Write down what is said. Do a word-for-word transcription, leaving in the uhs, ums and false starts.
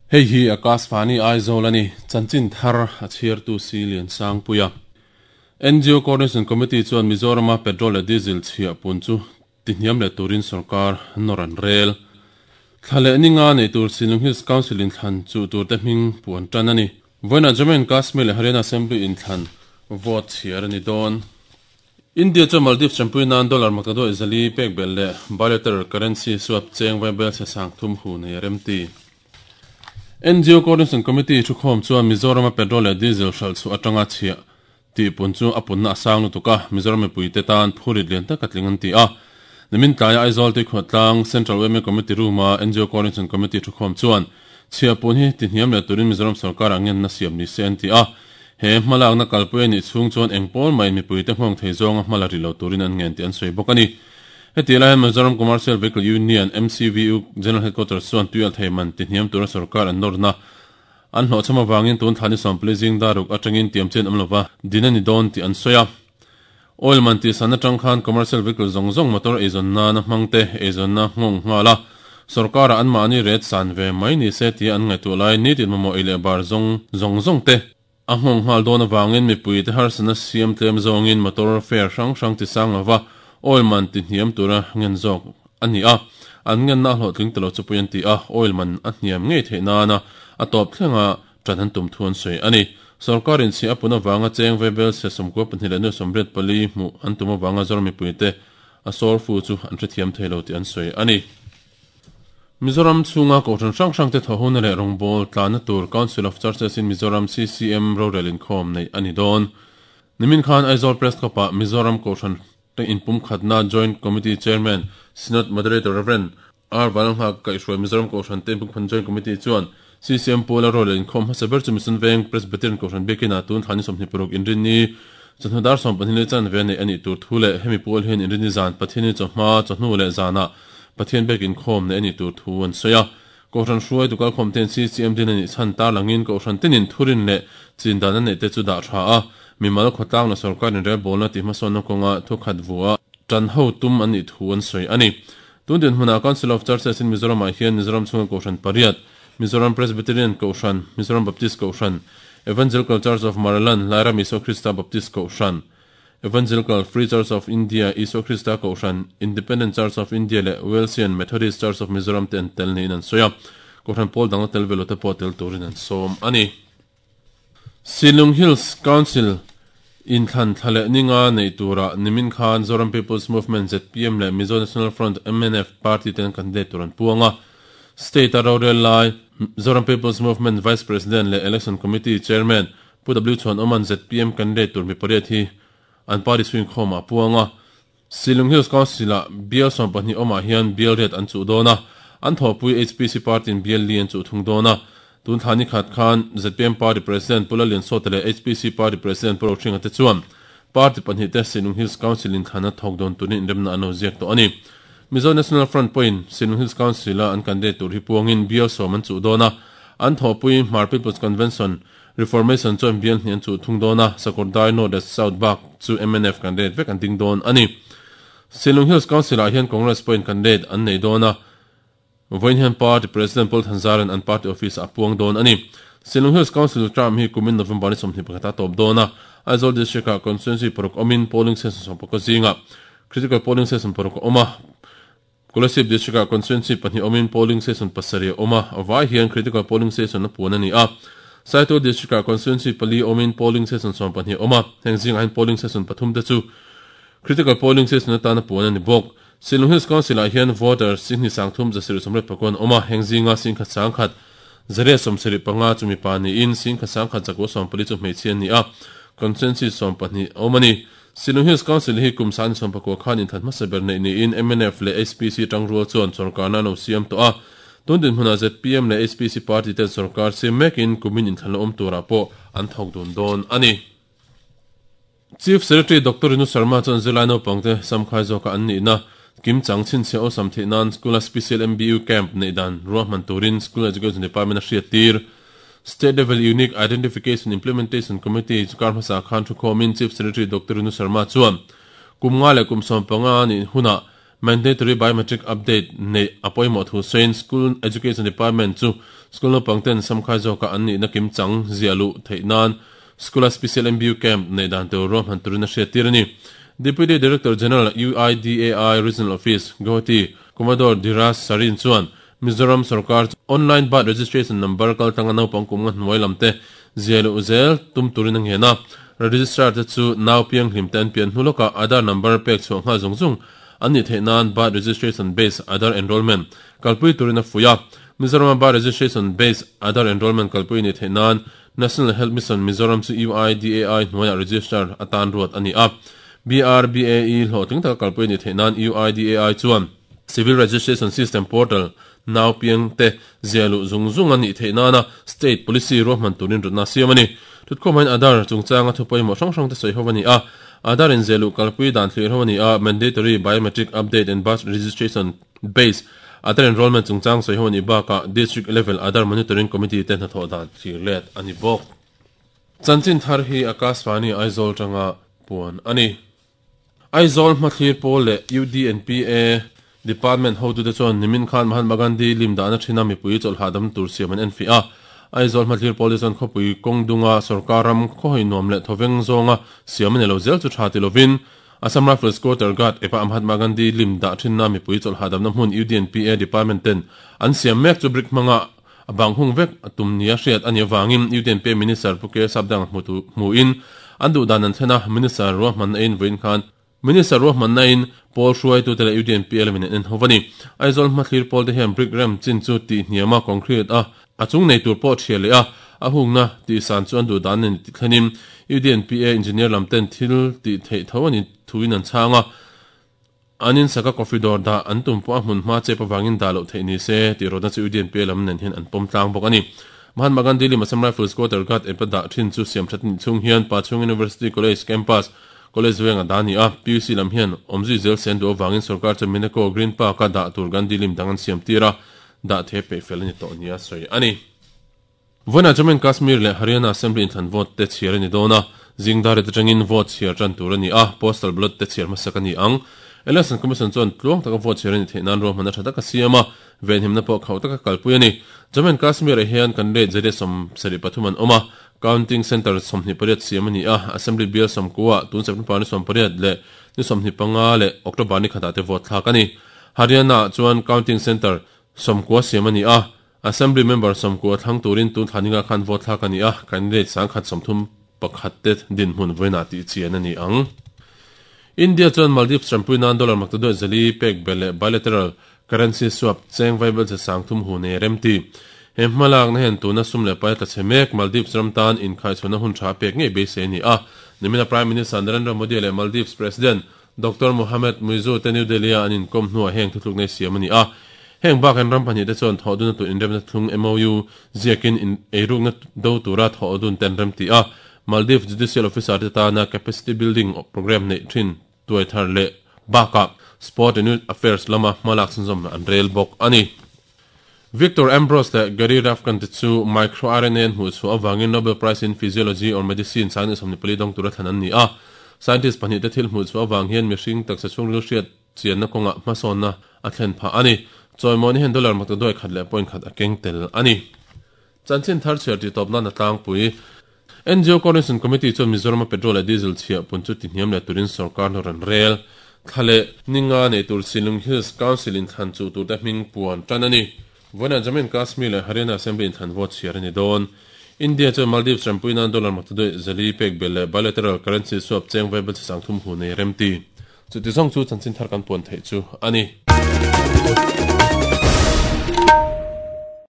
Hei hi Akashvani Aizawl a ni, chanchin thar a chhiartu si Lian Sangpuia. N G O Coordination Committee chuan Mizorama petrol leh diesel chhiah pun chu tihniam leh turin sorkar nawr an rel. Thla leh ninga nei tur Shillong Hills Council in thlan chu turte hming puan tan a ni. Vawiinah Jammu and Kashmir leh Haryana Assembly in thlan vote chhiar a ni dawn. India chuan Maldives champui nan dollar maktaduai zali pek belh leh bilateral currency swap cheng vai bel se sang thum hu nei a remti. N G O Coordination Committee thukhawm chuan Mizorama petrol leh diesel hral chu atanga chhiah tih pun chu a punna a sang lutuk a, Mizoram mipuite tan phurit lian tak a tling an ti a. Nimin tlaia Aizawl Tuikhuahtlang Central Women Committee Room-a N G O Coordination Committee thukhawm chuan chhiah pun hi tihniam leh turin Mizoram sorkarah ngenna siam ni se an ti a. He hmalakna kalpui a nih chhung chuan eng pawl mai mipuite nghawng thei zawnga hmala ri lo turin an ngen tih an sawi bawk a ni. Heti lai hian Mizoram Commercial Vehicle Union M C V U General Headquarters chuan tuial thei man tihniam tura sorkar an nawrna an hlawhchham avangin tun thlani sawmpali zing daruk atangin tiam chen awm lova din a ni dawn tih an sawi a. Oil man tih san atang khan commercial vehicle zawng zawng motor eizawn na hmangte eizawn na nghawng nghal a. Sorkarah an mahni ret san ve mai ni se tia an ngaihtuah lai nitin mamawh ei leh bar zawng zawng zawng te a nghawng nghal dawn avangin mipuite harsana siam tlem zawngin motor fare hrang hrang ti sang lova oil man tihniam tura ngen zawk a ni a. An ngen na hlawhtling telo chu pui an ti a, oil man a hniam ngei theih nana a tawp thlenga tan an tum thu an sawi a ni. Sorkarin chhiah a pun avanga cheng vebel se sawmkua pahnih leh nuai sawmriat pali hmuh an tum avanga Zoram mipuite a sawr fu chu an hrethiam thei lo tih an sawi a ni. Mizoram chhunga kohhran hrang hrang te thawhhuna leh rawngbâwl tlanna tur Council of Churches in Mizoram C C M rorel inkhawm nei a ni dawn. Nimin khan Aizawl Press Club-ah Mizoram kohhran te inpum khatna Joint Committee Chairman Synod Moderator Reverend R Vanlalnghak kaihhruai Mizoram kohhran te inpum khatna Joint Committee chuan C C M pawla rorel inkhawm hmasa ber chu Mission Veng Presbyterian kohhran biakina tun thlani sawmhnih paruk inrinni chawhnu dar sawm pahnih leh chanve nei a nih tur thu leh hemi pawl hian inrinni zan Pathianin chawhma chawhnu leh zanah Pathian bek inkhawm nei a nih tur thu an sawi a. Kohhran hruai tukal khawm ten C C M din a nih chhan tar langin kohhran tenin thurin leh chin dan a neih te chu dah tha a. Mimal khawtlang la sorkarin relbawlna tih hmasawnna kawnga thu khat vua tan ho tum an nih thu an sawi a ni. Tun din hmunah Council of Churches in Mizoramah hian Mizoram chhunga kohhran pariat, Mizoram Presbyterian kohhran, Mizoram Baptist kohhran, Evangelical Church of Maraland, Lairam Isua Krista Baptist kohhran, Evangelical Free Church of India, Isua Krista kohhran, Independent Church of India leh Wesleyan Methodist Church of Mizoram te an tel niin an sawi a. Kohhran pawl dang tel velo te pawh tel turin an sawm a ni. Shillong Hills Council in thlan thla leh ninga nei turah nimin khan Zoram People's Movement Z P M leh Mizo National Front M N F party ten candidate tur an puang a. State a rorel lai Zoram People's Movement Vice President leh Election Committee Chairman Pu W Chuan Oman Z P M candidate tur mi pariat hi an party chhuin khawm a puang a. Shillong Hills Council a bial sawm pahnih awmah hian bial riat an chuh dawn a. An thawhpui H P C party in bial li an chuh thung dawn a. Tun thlani khat khan Z P M party president Pu Lalian Sawte leh H P C party president Pu Rohringa te chuan party pahnih te Shillong Hills Council in thlana thawk dawn turin inremna an lo ziak tawh a ni. Mizo National Front pawhin Shillong Hills Council a an candidate tur hi puangin bial sawm an chuh dawn a. An thawhpui Hmar People's Convention Reformation chuan bial hnih an chuh thung dawn a, Sakawrdai North leh South bak chu M N F candidate vek an ding dawn a ni. Shillong Hills Council ah hian Congress pawhin candidate an nei dawn a. Vawiin hian party president Paul Thanzaran an party office a puang dawn a ni. Shillong Hills Council term hi kumin November ni sawmhnih pakhat a tawp dawn a. Aizawl District ah constituency paruk awmin polling station sawm pakua zingah critical polling station paruk a awm a. Kolasib District ah constituency pahnih awmin polling station pasarih a awm a. A vai hian critical polling station a puan a ni a. Saitual District ah constituency pali awmin polling station sawm pahnih a awm a. Heng zingah hian polling station pathum te chu critical polling station atana puan a ni bawk. Shillong Hills Council ah hian voter singni sangthum zasirih sawmriat pakuan awm a. Heng zinga singkhat sangkhat zariat sawmsarih panga chu mipa niin singkhat sangkhat zakua sawm pali chu hmeichhe an ni a. Constituency sawm pahnih a awm a ni. Shillong Hills Council hi kum sani sawm pakua khan inthat hmasa ber nei niin M N F leh H P C tangrual chuan sorkarna an lo siam tawh a. Tun din hmunah Z P M leh H P C party ten sorkar siam mekin kumin inthlan la awm turah pawh an thawk dun dawn a ni. Chief Secretary Doctor Rinu Sharma chuan zirlai naupangte samkhai zawka an nihna kim chang chhinchhiah awlsam theih nan school a special M B U camp nei dan ruahman turin School Education Department a hriat tir. State Level Unique Identification Implementation Committee chu kar hmasa khan thu khawmin Chief Secretary Doctor Rinu Sharma chuan kum nga leh kum sawm panga ni hunah Mandatory biometric update nei a pawimawh thu sawiin School Education Department chu school naupang ten samkhai zawka an nihna kim chang ziah luh theih nan school-a special M B U camp neih dan tur ruahman turin a hriat tir a ni. Deputy Director General U I D A I Regional Office, Guwahati, Commodore Dhiraj Sarin chuan Mizoram sarkar online birth registration number kaltlanga naupang kum nga hnuai lam te ziah luh zel tum turin a ngen a. Registrar te chu nau piang hlim te an pian hnu lawkah Aadhaar number pek chhuah nghal zawng zawng an nih theih nan birth registration based Aadhaar enrollment kalpui turin a fuih a. Mizoram birth registration based Aadhaar enrollment kalpui nih theih nan National Health Mission Mizoram chu U I D A I hnuaiah register atan ruat a ni a. B R B A E hlawhtling taka kalpui nih theih nan U I D A I chuan Civil Registration System Portal nau piang te ziah luh zung zung a nih theih nana state policy ruahman turin rutna siam a ni. Thutkhawm Aadhaar chungchanga thu pawimawh hrang hrang te sawi ho a ni a. Aadhaar in ziah luh kalpui dan thlir ho a ni a. Mandatory biometric update and birth registration base Aadhaar enrollment chungchang sawi ho a ni bakah district level Aadhaar monitoring committee te hnathawh dan thlir let a ni bawk. Chanchin thar hi Akashvani Aizawl tanga puan a ni. Aizawl hmathlir pawl leh U D N P A Department hotu te chuan nimin khan Mahatma Gandhi lim dahna thina mipui chawlhah dam tur siam an en fi a. Aizawl hmathlir pawl te chuan khawpui kawngdunga sarkar ram khawhoi nuam leh thawveng zawnga siam a ni lo zel chu tha ti lovin Assam Rifles Quarter Guard epa Mahatma Gandhi lim dah thinna mipui chawlhah damna hmun U D N P A Department ten an siam mek chu brick hmanga a bang hung vek a tum nia hriat a ni awangin U D N P A Minister Pu K Sapdang hmutu hmuin an duh dan an thlen a. Minister ruahman a in vawiin khan Minister ruahman na in Paul hruai tu te leh U D N P A lamin an en ho a ni. Aizawl hmathlir pawl te hian brick rem chin chu tih hniama concrete a a chung nei tur pawh thiah leh a a hungna tih san chu an duh dan ani ti thlenin U D N P A engineer lam ten thil tih theih tho ani thuin an chhang a. An in saka coffee dawr dah an tum pawh a hmun hma chep awangin dah loh theih ni se tih rawtna chu U D N P A lam nen hian an pawm tlang bawk a ni. Mahatma Gandhi lim Assam Rifles Quarter Guard epa dah thin chu siam that ni chung hian Pachhung University College campus College venga dani a P U C lam hian awmzui zel sen duh awangin sarkar chu Mineko Green Park a dah tur Gandhi lim dang an siam tir a dah the pe fel ani tawh nia sawi a ni. Vawiinah Jammu and Kashmir leh Haryana Assembly inthlan vote te chhiar a ni dawn a. Zingdar te atangin vote chhiar tan tur a ni a. Postal ballot te chhiar hmasak a ni ang. Election Commission chuan tluang taka vote chhiar a ni theih nan ruahman a tha taka siam a. Venhimna pawh khauh taka kalpui a ni. Jammu and Kashmir ah hian kan rate zariat sawm sarih pathum an awm a. Counting Center sawmhnih pariat siam a ni a. Assembly bial sawmkua tun September ni sawm pariat leh ni sawmhnih panga leh October ni khatah te vote thlak a ni. Haryana chuan Counting Center sawmkua siam a ni a. Assembly member sawmkua thlang turin tun thlaninga khan vote thlak a ni a. Candidate sangkhat sawmthum pakhat te dinhmun vawiinah tih chian a ni ang. India chuan Maldives rampui nan dollar maktaduai zali pek bel leh bilateral currency swap cheng vaibel che sangthum hu nei rem ti. He hmalak na hen tuna sum leh pai tla che mek Maldives ram tan inkhai chhuna hun tha pek ngei beisei ni a. Nimina Prime Minister Narendra Modi leh Maldives President Doctor Mohamed Muizzu te New Delhi a an inkom hnuah heng thutluk nei siam a ni a. Heng bak an ram pahnih te chuan thawh dun a tur inremna thlung M O U ziakin in eirukna do tura thawh dun ten rem ti a. Maldives Judicial Officer te tana capacity building program nei thin tuai thar leh bakah Sport and Youth Affairs lama hmalak chhunzawm an rel bawk a ni. Victor Ambrose leh Gary Ruvkun te chu microRNA an hmuh chhuah awangin Nobel Prize in Physiology or Medicine sang ni sawmhnih pali dawng tura thlan an ni a. Scientist pahnih te thil hmuh chhuah awang hian mihring taksa chhungril hriat chianna kawnga hmasawnna a thlen phah a ni. Chawimawni hian dollar maktaduai khat leh point khat a keng tel a ni. Chanchin thar chhiar tih tawp nan a tlangpui. N G O Coordination Committee chuan Mizoram a petrol leh diesel chhiah pun chu ti hniam leh turin sarkar nawr an rel. Thlale ninga nei tur Shillong Hills Council in thlan chu tur te hming puan tan a ni. Vawiinah Jammu and Kashmir leh Haryana Assembly in thlan vote chhiar a ni dawn. India chuan Maldives rampui nan dollar maktaduai zali pek bel leh bilateral currency swap cheng vaibel che sangthum hu nei rem ti. Chuti zawng chu chanchin thar kan puan theih chu a ni.